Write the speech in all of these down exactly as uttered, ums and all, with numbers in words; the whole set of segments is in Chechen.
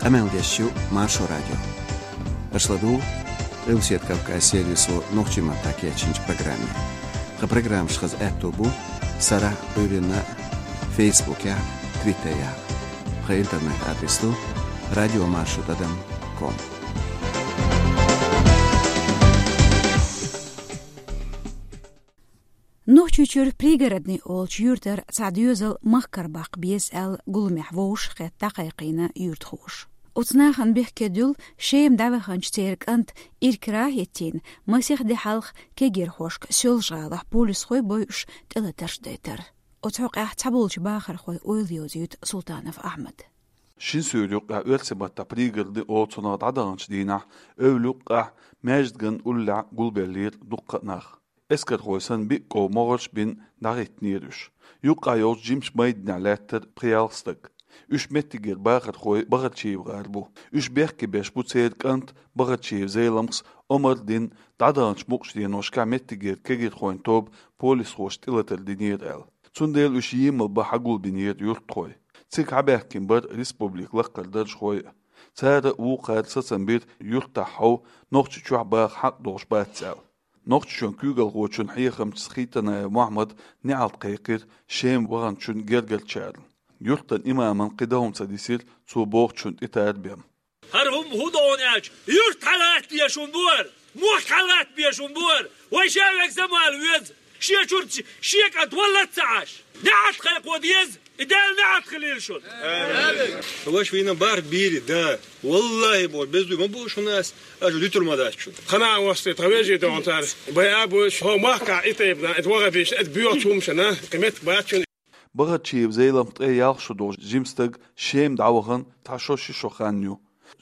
Къамел деш ю Маршо радио. Аша ладугӀу Къилбаседа Кавказ сервисо нохчийн маттахь кечйинчу программе. Тхан программаш хаза аьтто бу сарахь, Ӏуьйранна, Фейсбукехь, Твиттерехь. Тхан интернет-адрес ду радиомаршо тӀадам ком. Нохчийчуьра Пригородный олучу юьртара цхьа доьзал махкара баккха беза аьлла, гуламехь вовшахкхетта дӀакхайкхийна юьртахоша. Оцу нахана бехке дуьллу Шема дӀаваханчу церан кӀант иракарахь а хӀиттийна, масех де хьалха кегийрхошка Соьлжа-ГӀалахь полисхой бойуш тӀелатарш дайтар. Оцу хьокъехь цхьаболчу бахархойн ойла йовзуьйту Султанов Ахьмада. Шина суьйра юккъехь оьрсийн маттахь Пригородный олу цунах дӀадаханчу дийнахь, эвла юккъехь, маьждиган уллехь гулбеллера дуккха а нах. Эскархой санна биъ ков могӀарш а бина дӀахӀиттинера уьш. Юккъехь йолчу жимачу майданехь лаьттара пхиъ-ялх стаг. Уьш меттигера бахархой Бахарчиев гӀар бу. Уьш бехке беш бу церан кӀант Бахарчиев Зеламхас омра дина, дӀадаханчу мукъачу деношкахь меттигера кегийрхойн тоба полисхошна тӀелатар динера аьлла. Цундела уьш емал бан хьагулбинера юьртахой. Цига хьабаьхкина бара республикан лакхара даржхой а. Цара а, вукхара а сацам бира юьртахь хьов Нохчийчохь баха хьакъ долуш бац аьлла. Нохчийчоьнан куьйгалхочун хьехамчо Хитанаев Мохьмада неӀалт кхайкхира Шема ваханчун гергарчарна. Юьртан имамна кхин дан хӀума ца дисира цо бохучунна тӀетарбан. ХӀара хӀума хӀун ду аьлча, юрт хьалатта дезаш хӀума бу хӀара, мохк хьалатта безаш хӀума бу хӀара, вай шаверг замала веза, шен чуьра шен кӀант валла а ца Ӏаш, неӀалт кхайкхо деза, и Дала неӀалт хилийла шуна. Ваша вайна барт бийр, да. Валлахьи, боху, беза дуй ма бу шуна ас, аша дуьтур ма дац шуна. Тхана а васте, тхан вежарий тохана цара, бай а бу, хьо махкахь и тайпана, это ваха беш, это боьхачу хӀумашна, кхин меттиг бац шуна. Бахарчиев Зеламха тӀе ялх шо долу жима стаг Шема дӀавахана цхьа шо-ши шо хан ю.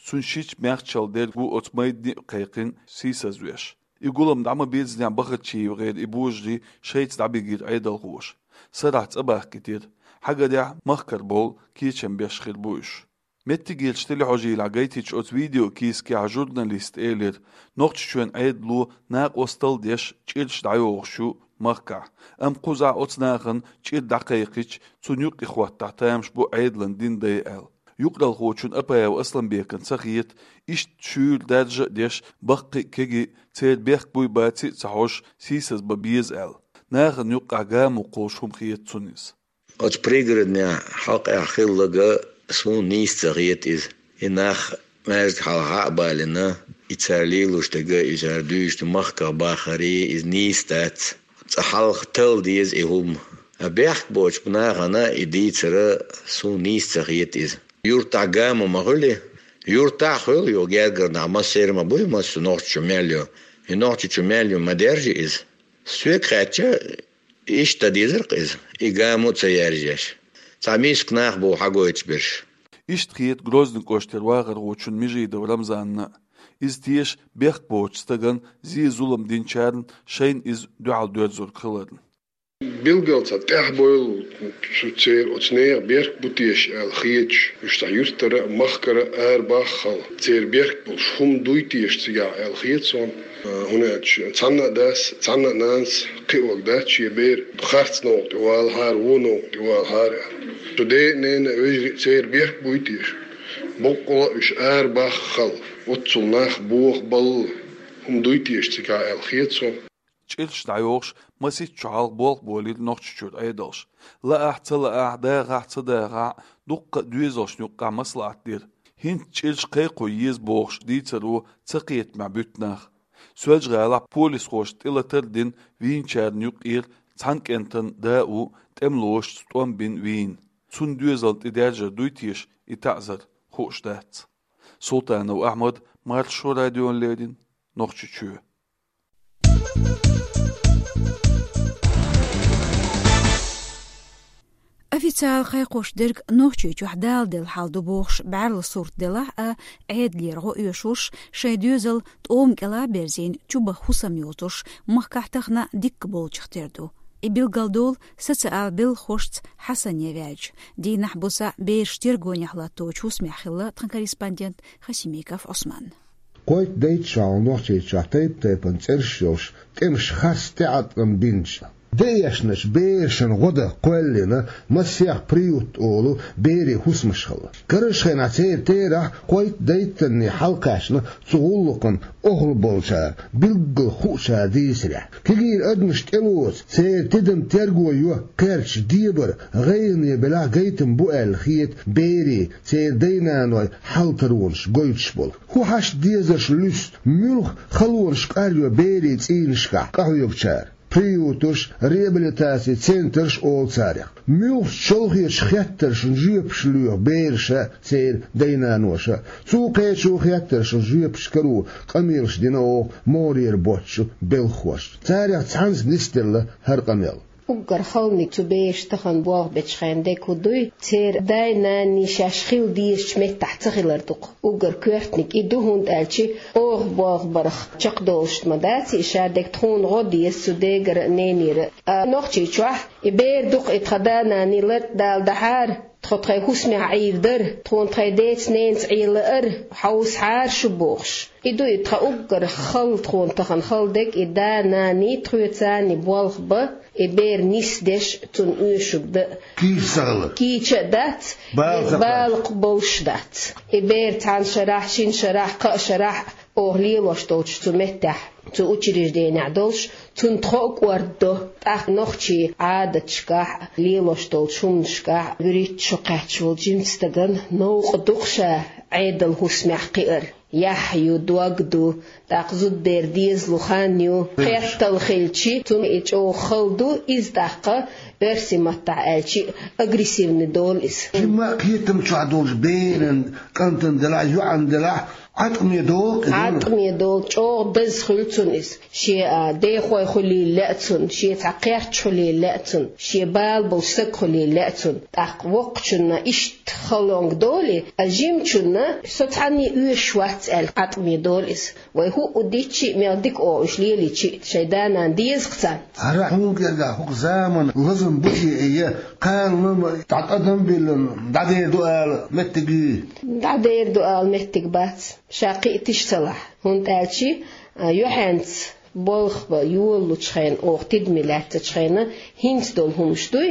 Цуьнан шича-маьхча чалла дерг ву оцу майдане а кхайкхина сийсазвеш. И гулам дӀа ма-бирзинехь, БахарчиевгӀеран и божарий шайца дӀабигира Ӏедалхоша. Сарахь цӀа бахкийтира. Хьагарехь, махкара бовла кечам беш хир бу уьш. Меттигерчу телехьожийлахь гайтинчу оцу видеокийсакехь журналисташа элира, Нохчийчоьнан Ӏедало накъосталла деш чӀираш дӀайохуш ю махкахь, амма кхузахь оцу нахана чӀир дӀакхайкхича, цунна юкъахӀоттахь тамаш бу Ӏедалан дин дай аьлла. Юкъаралхочун Апаев Асланбекана ца хета, иштта шуьйра даржа а деш, баккхий а, кегий а, церан бехк буй-баций а ца хьожуш, сийсазбан беза аьлла. Нахана юккъехь гамо кхуллуш хӀума хета цунна иза. Оцу Пригороднехь хьокъехь хилларг суна нийса ца хета иза. И нах маьждиг хьалха а балийна, и цара лелош дерг, и цара дуьйцуш дерг, махках бахарий, иза нийса дац. Цкъа хьалха талла деза и хӀума. А бехк боцчу нахана и дийцар суна нийса ца хета иза. Юьртахь гамо ма хуьлий? Юьртахь а хуьлу, юха гергара нах массеран а ма буй, массо а Нохчийчу мел ю. И Нохчийчу мел ю ма-даржий иза. Соьга хаьттича, иштта дан дезара-кх иза, и гамо а ца яржош. Цхьа миска нах бу хьагойтуш берш. Иштта хета Грозный кӀоштара вахархочун Межидов Рамзанна а. Иза теша бехк боцучу стагана зен-зулам динчарна шайна иза дуьхьал доьрзург хиларна. Билггал цхьа тӀаьхьа бойла цу церан оцу нехан бехк бу теша аьлла хеташ, уьш цхьа юьртара а, махкара а арабаххал, церан бехк болуш хӀума дуй теша цигахь аьлла хета суна. ХӀунда аьлча цхьанна а дас, цхьанна а нанас кхиорг дац шен бер, харц новкъа тӀе валахьара, вон новкъа тӀе валахьара аьлла. Цу ден а, ненан а, вежарий а церан бехк буй теша? Боккъала а уьш арабаххал, оццул нах бохабалла хӀума дуй теша цигахь аьлла хета суна. ЧӀираш дӀайохуш, масех шо хьалха болх болийра Нохчийчуьра Ӏедалш. Лаахь а, ца лаахь а, дахахь а, ца дахахь а, дуккха а доьзалшна юккъехь маслаӀат дира. ХӀинца чӀираш кхайкхо еза бохуш дийцаро ца кхетамехь буьту нах. Соьлжа-ГӀалахь полисхоша тӀелатар а дина вийначарна юккъера цхьана кӀентан да а ву, тӀемалошца тӀом бина вийна. Цунна доьзална тӀе даьржар дуй теша и таӀзар, хууш дац. Султанов Ахьмад, Маршо радиона леррина, Нохчийчоь. Официалан кхайкхош дерг Нохчийчохь даладелла хьал ду бохуш, бӀаьрла сурт делахь а, Ӏедалера гӀо оьшуш, шайн доьзал тӀома кӀела а берзийна, чубаха хӀусам йоцуш, махкахь тахана дикка болчух тера ду. И билгалдолу социал белхалошца Хьасане ваьлча. Дийнахь-буса бераш тергонехь латточу хӀусамехь хилла тхан корреспондент Хасимиков Ӏусман. Кхойтта-дейтта шо хьалха Нохчийчохь тайп-тайпана цӀераш йолуш, тӀемаш харц тӀеӀаткъам бинчу, Деэшначу берашна гӀо дан кхоьллина массех «Приют» олу берийн хӀусамаш хилла. Карарчу хенахь церан терахь кхойтта-дейттанна хьалакхаьчна цу гӀуллакхна охьалуш болчара, билггал хуучара дийцарехь. Кегийра адамаш тӀелоцу, церан тидам терго йо кхерчачу дебара, гӀайгӀане белахь гайтам бу аьлла хета берийн, церан дай-наной хьал-таронаш гойтуш болу. ХӀун хьашт дезарш луьсту, муьлха халонаш къаръйо берийн цӀийнашкахь къахьоьгучара? Приюташ, реабилитацин центраш олу царех. Муьлхачу чолхечу хеттаршна жоьпаш лоьху бераша, церан дай-наноша. Цу кхечу хеттаршна жоьпаш каро къамелаш дина оха могӀарера боцчу белхахошна. Царех цхьанца нисделла хӀара къамел. Уггар халаниг цу бераша тахана болх бечу хенахь дерг хӀун дуй? Церан дай-наний шаьш хила дезачу меттехь ца хилар ду-кх. Уггар коьртаниг и ду, хӀунда аьлча оха болх барх чекхдолуш ма дац и, шадерг тхуна гӀо деза цу дегара а, ненера а. Ткъа Нохчийчохь и бер ду-кх и, тхан да-наний латта дала дахьара, тхо тхайн хӀусамехь Ӏийр дара, тхуна тхайн деца-ненаца Ӏен лаара, хьовсахьара шу бохуш. И ду и тхан уггар хала, тхуна тахана хала дерг, и да-наний тхоьца болх бан, и бер нисдеш, цунна оьшург дан. Кийча ца хилар. Кийча а дац, бала ца кхоьллина, бала кхоьллина болуш дац. И бер цхьана шарахь, шина шарахь, кхаа шарахь оха лелош долчу цу меттехь, цу учрежденехь долуш, цунна тхо а кӀордадо. ТӀаккха нохчийн Ӏадаташкахь, лелош долчу хӀуманашкахь вуьрхӀитта шо кхаьчна волу жимачу стагана новкъа ду-кх ша Ӏедалан хӀусамехь кхиар. Яхь ю, дог ду, тӀаккха зудабер дезалу хан ю, хеттал хилчи, цунна и чӀогӀа хала ду, иза тӀаккха, оьрсийн маттахь аьлчи, агрессивный долу иза. Жимма а кхетам чохь долчу беран, кӀантана делахь, йоӀана делахь, Ӏаткъаме долу иза. Ӏаткъаме долу, чӀогӀа деза хуьлу цунна иза. Шен, а, дехой хуьлийла лаьа цунна, шен цхьа кхерч хуьлийла лаьа цунна, шен бала болуш стаг хуьлийла лаьа цунна. ТӀаккха воккхачунна иштта халонга долий, а жимачунна со цхьанне оьшуш вац аьлла, Ӏаткъаме долу иза. Вай хӀуъу дитчи а, мел дика оха уьш лелийчи а, шайн да-нана деза-кх царна. ХӀара хьуна кӀелгахь хӀокху заманан лазам бу те, я кхана ма дӀа тӀадам а биллина, дӀадер ду ала меттиг юй? ДӀадер ду ала меттиг бац, ша кхиа тиша ца лахь. ХӀунда аьлчи, а, юьхьанца болх бан йолалучу хенахь, оха тидаме лаьттачу хенахь, хӀинца долу хӀумаш дуй,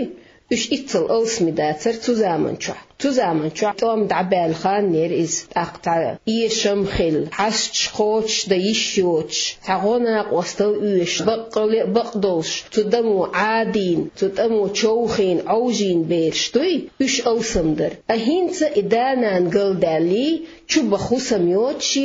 уьш иццал алсаме дацара цу заманчохь. Цу заманчохь тӀом дӀабаьлла хан яра иза, тӀаккха цхьа эшам хилла, хьасташ, кхочуш дан йиш йоцуш, цхьа гӀо-накъостал оьшуш, баккъалла а бакъдолуш, цу дамо Ӏадийна, цу тӀамо човхийна, Ӏовжийна бераш дуй, уьш алсам дара. А хӀинца и да-нана галдаьллий, чубаха хӀусам йоцуш,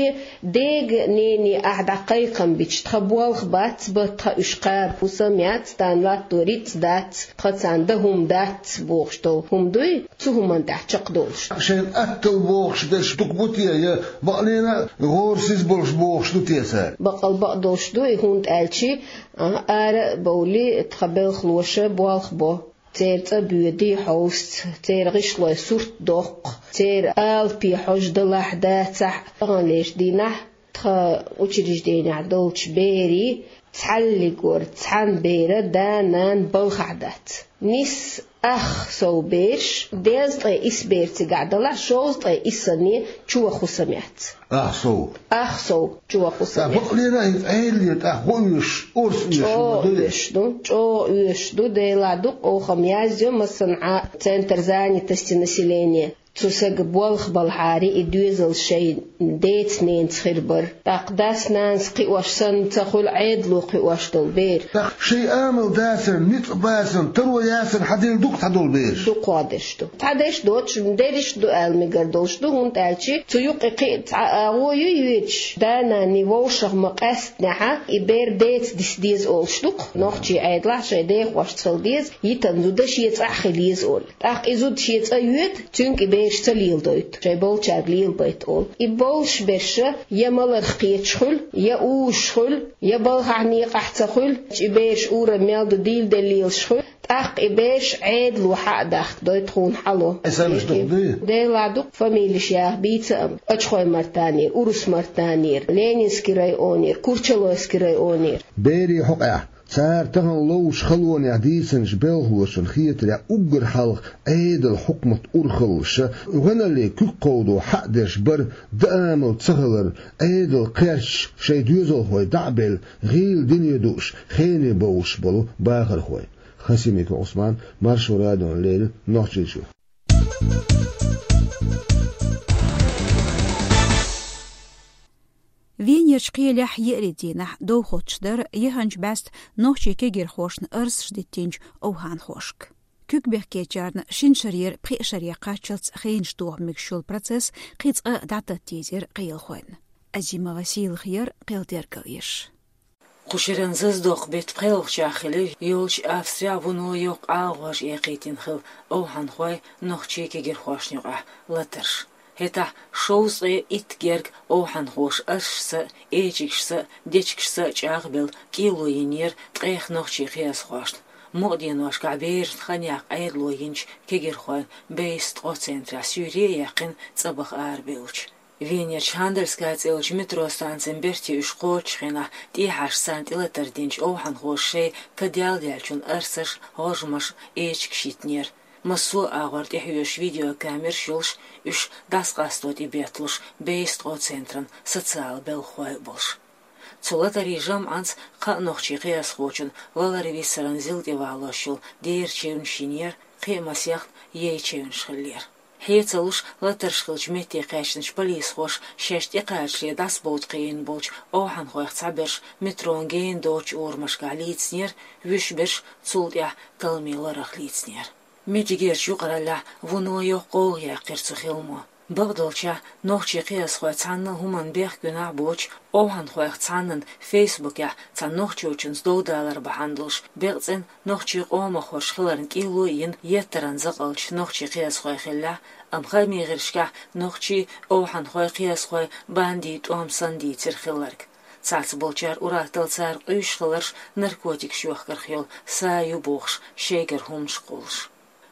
дега, нене, ахь дӀа кхайкхам бича, тхан болх бац бан, тхан уьш кхаба хӀусам яц, тхан латто рицкъ дац, тхан царна дан хӀума дац бохуш долу хӀума дуй, цу хӀуманна тӀехь чекхдолуш. Шайна аттал бохуш берш дукха бу те, я бакъ-, лена гӀорасиз болуш бохуш ду те цара? Баккъал бакъдолуш ду и, хӀунда аьлчи, а, ара а бовлий, тхан белхалоша болх бо. Церан цӀа боьдий хьовсаца, церан гӀишлой сурт доккху, церан алапе хьожа далахь, дацахь, таханлерчу дийнахь тхан учрежденехь долчу берийн цхьаллигора цхьана бера да-нана балхахь дац. Нисса ах сов бераш, дезткъе исс бер цигахь далахь, шовзткъе иссанне чу ваха хӀусам яц. Ах сов. Ах сов чу ваха хӀусам яц. Бакъ-, лена и Ӏеллера тӀаккха гӀо оьшуш, орца оьшуш ма дуй? ЧӀогӀа оьшуш ду, чӀогӀа оьшуш ду, Делахь дукха оха-м язйо массанхьа центр занятости населения. Цу сага болх балхьари и доьзал шайн деца-ненаца хир бара. ТӀаккха дас-нанас кхиош санна ца хуьлу Ӏедало кхиош долу бер. ТӀаккха шайн амал дацарна, ницкъ бацарна, таро яцарна хьаделла ду-кх цхьадолу бераш? Дукхох дерш ду. Цхьадерш доцуш, дерриш а ду аьлла мегар долуш ду, хӀунда аьлча цу юккъе кхин а цхьа а гӀо ю йоьдуш, да-нанний вовшах ма къаьстинехьа, и бер деца диса деза олуш ду-кх. Нохчийн Ӏедалахь шайн дехошца хила деза, йитан зуда шен цӀахь хила еза олу. ТӀаккха и зуда шен цӀа йоьду, цуьнга и бераш ца леладойту, шайн болчаьрга лелабайта олу. И болуш берш я маларх кхеташ хуьлу, я уьш хуьлу, я балхахь некъахь ца хуьлу, и бераш урамехь мел ду дийла делла лелаш хуьлу, тӀаккха и бераш Ӏедало хьа а дахка дой, тхуна хьало. Делахь дукха фамилеш яха бийца а, Ачхой-Мартанера, Урус-Мартанера, Ленинский районера, Курчалойский районера. Берийн хьокъехь Цара тахана ловзучу халонехь дийцинчу белхалошна хетарехь, уггар хьалха Ӏедалан хьукмат урхаллаша, гӀоьналлин куьг кховдо хьаъ дерш бара, даамал ца хилар, Ӏедал кхерчаш шайн доьзалхой дӀа а белла, гӀийла дине дууш, хене бовлуш болу бахархой. Хасимиков Ӏусман, Маршо радиона леррина, Нохчийчуьра. Венерчу кхелехь еарин дийнахь довхочуш дара яханчу баьста нохчийн кегирхошна арсаш диттинчу овхӀанхошка. Куьг бехкечарна шина шарера пхеа шаре кхаччалц хенаш тоха мегаш йолу процесс кхин цкъа а дӀататтийзира кхелахойн. Азимова Сийлахьера кхел тергал еш. Кху шеран зазадоккху беттан пхоьалгӀачохь хилира йолчу Австрехь вуно йоккха агӀор экхийтина хилла овхӀанхой нохчийн кегирхошна юкъахь латарш. ХӀетахь шовзткъе итт герга овхӀанхоша арсашца а, эчигашца а, дечигашца а чӀагӀбелла кӀело йинера ткъех нохчийн кхиазхошна, мукъа деношкахь берашна хан яккха Ӏедало йинчу кегирхойн бейса ткъо центрехь суьйре а яьккхина цӀа баха арабевлча. Венерчу Хандельская цӀе йолчу метро станцин берте уьш кхочучу хенахь, тӀехьашха царна тӀелатар динчу овхӀанхоша шайн кадел даьллачун арсаш, гӀожамаш, эчигаш йитинера. Массо а агӀор тӀехьоьжуш видеокамераш йолуш, уьш дӀасакъасто тӀебетталуш бейса ткъо центран социалан белхахой а болуш. Цу латарийн жамӀанца кхаа нохчийн кхиазхочун валар-виссаран зил тӀе валош йолу дера чевнаш йинера, кхин а масех яй чевнаш хиллера. Хье ца луш, латарш хиллачу метте кхаьчначу полисхоша шаьш тӀекхачале дӀасабовда кхиийна болчу овхӀанхойх цхьаберш метрон гена доцучу урамашкахь лийцинера, вуьш берш цул тӀаьхьа талламийн ларах лийцинера. Меттигерчу юкъараллехь вуно йоккха гӀовгӀа яьккхира цу хиламо. Бакъдолчехь, нохчийн кхиазхой цхьанна а хӀуманна бехкенехь а боцуш, овхӀанхойх цхьаннан фейсбукехь цхьана нохчочунца довдалар бахьана долуш, бекъа цӀена нохчийн къомах хӀорш хиларна кӀело а йина, еттаран закъалчу нохчийн кхиазхой хиллехь а, амма хаамийн гӀирсашкахь нохчий, овхӀанхой, кхиазхой бандин тӀом санна дийцира хилларг. Цхьацца болчара ур-атталла цара къуьйсуш хиларш наркотикаш йохкарх йолу са ю бохуш, шайгара хӀуманаш кхуллуш.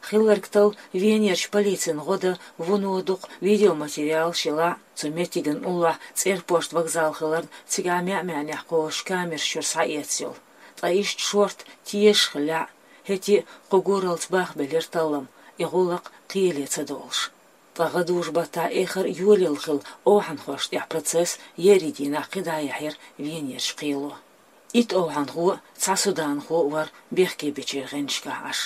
Хилларг талла Венерчу полицин гӀо дан вуно дукха видеоматериалаш елахь а, цу меттиган уллохь цӀерпошт вокзал хиларна, цигахь маьӀ-маьӀнехь кхочуш камераш чуьра схьаэцна йолу. Ткъа иштта шорта тешаш хиллехь а, хӀетте а кху гураллица бахбелира таллам, и гӀуллакх кхеле ца долуш. Ткъа гӀадужу-баттахь эххар а йолаелла хилла овхӀанхошна тӀехь процесс еарин дийнахь кхидӀа а яьхьира Венерчу кхело. Итт овхӀанхо а, цхьа суданхо а вара бехкебечеран гӀанташкахь Ӏаш.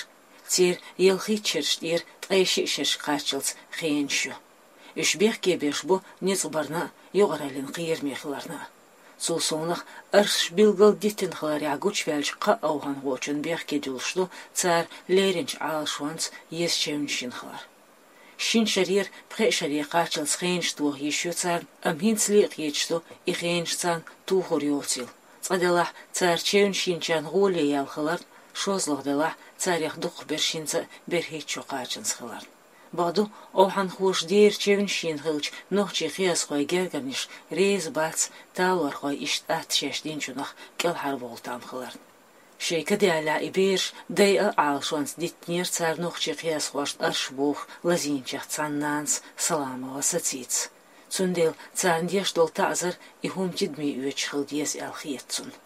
Церан ялхитта шераш тӀера ткъе шиъ шерашка кхаччалц хенаш ю. Уьш бехкебеш бу ницкъ барна а, юкъараллин кхераме хиларна а. Цул совнаха, арсаш билггал диттина хиларехь гучуваьллачу кхаа овхӀанхочун бехке дуьллуш ду цара леринчу Ӏалашонца еза чевнаш йина хилар. Шина шарера пхеа шаре кхаччалц хенаш тоха йиш ю царна, амма хӀинцале а кхеташ ду и хенаш царна тухур йоцийла. Цкъа делахь, цара чевнаш йинчарна гӀоле яьлла хиларна, шозлагӀа делахь, царех дукхахберш хӀинца а берхӀитта шо кхачанза хиларна. Бакъду, овхӀанхоша дера чевнаш йина хиллачу нохчийн кхиазхойн гергарнаш реза бац талорхой иштта атта шаьш динчунах кӀелхьарволу там хиларна. Шайн кадиаллехь и бераш дайа а Ӏалашонца диттинера цара нохчийн кхиазхошна арш боху лазийначех цхьана нанас Саламова Сацица. Цундела царна деш долу таӀзар и хӀума тидаме оьцуш хила деза аьлла хета цунна.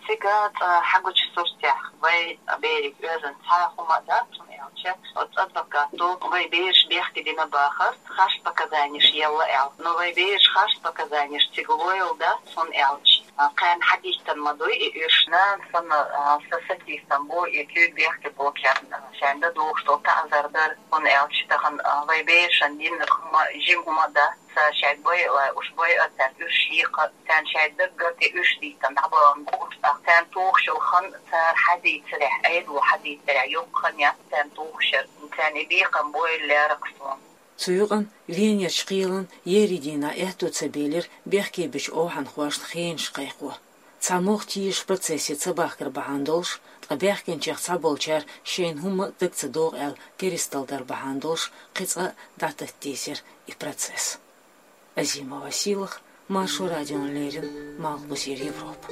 Цига цкъа хьагучу суртехь вай берега оьзан цхьа хӀума а дац, хӀунда аьлча оцу адвокато вай бераш бехке дина бахара, харц показанеш елла аьлла. Но вай бераш харц показанеш цига лойла дац, хӀунда аьлча кхарна хьадиттина ма дуй и уьш. Нана санна, а, сан сатийсам бу и куьг бехке боккхарна, а, шайна дан догӀуш долу таӀзар дар, хӀунда аьлча тахана, а, вай берашна динарг хӀума жима хӀума а дац, ца шаьш бойла, уьш бойла, цаьрга уьш йийкха, царна шайн даггара тӀе уьш диттина дӀабахана бу уьш, тӀаккха царна тухуш йолу хан цара хьадийцарехь, Ӏедало хьадийцарехь йоккха хан яц царна тухуш яра, царна и бекхам бойла лаьрра суна. Цу юкъана Венерчу кхелан еарин дийнахь аьтто ца белира бехкебечу овхӀанхошна хенаш кхайкхо. Цхьа могӀа тешаш процессе ца бахкар бахьана долуш, ткъа баьхкинчех цхьаболчара шайна хӀумма а дага ца догӀу аьлла керсталла дар бахьана долуш, кхин цкъа а дӀататтийзира и процесс. Азимова Сийлахь, Маршо радиона леррина, Малхбузера Европа.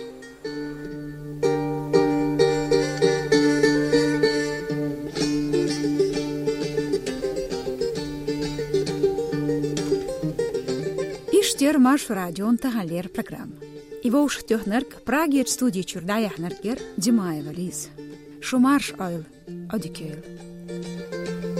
Иштта яра Маршо радион таханлера программа. И вовшахтоьхнарг, Прагерча студи чура дӀаяьхьнарг яр Димаева Лиза. Шу марша Ӏойла, Ӏодика йойла.